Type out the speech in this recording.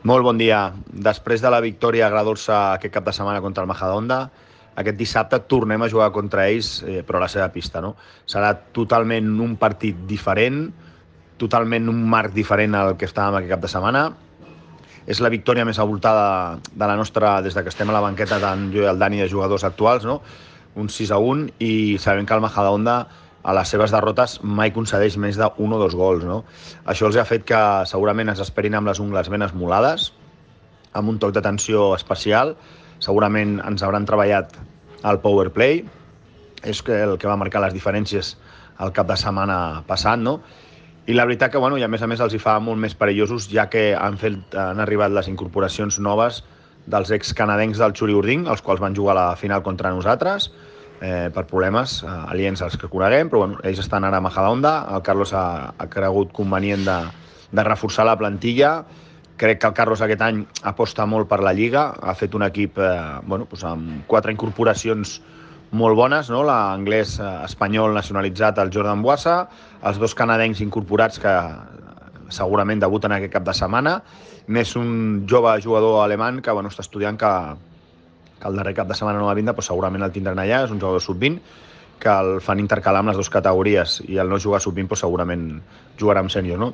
Molt bon dia. Després de la victòria agradolça aquest cap de setmana contra el Majadahonda, aquest dissabte tornem a jugar contra ells, però a la seva pista. No? Serà totalment un partit diferent, totalment un marc diferent al que estàvem aquest cap de setmana. És la victòria més avoltada de la nostra, des que estem a la banqueta, tant jo i el Dani, de jugadors actuals, no? Un 6-1, i sabem que el Majadahonda a les seves derrotes mai concedeix més d'un o dos gols. No? Això els ha fet que segurament ens esperin amb les ungles ben esmolades, amb un toc de tensió especial. Segurament ens hauran treballat el power play, és el que va marcar les diferències el cap de setmana passat, no? I la veritat que, bueno, i a més els hi fa molt més perillosos, ja que han arribat les incorporacions noves dels ex-canadencs del Xuri Urding, els quals van jugar a la final contra nosaltres, per problemes aliens als que coneguem, però bueno, ells estan ara a Majadahonda. El Carlos ha cregut convenient de reforçar la plantilla. Crec que el Carlos aquest any aposta molt per la Lliga, ha fet un equip amb 4 incorporacions molt bones, no? L'anglès espanyol nacionalitzat, el Jordan Buasa, els 2 canadencs incorporats que segurament debuten aquest cap de setmana, més un jove jugador alemany que està estudiant, que el darrer cap de setmana no va vindre, però segurament el tindran allà. És un jugador sub-20 que el fan intercalar amb les 2 categories, i el no jugar sub-20 segurament jugarà amb sènior, no?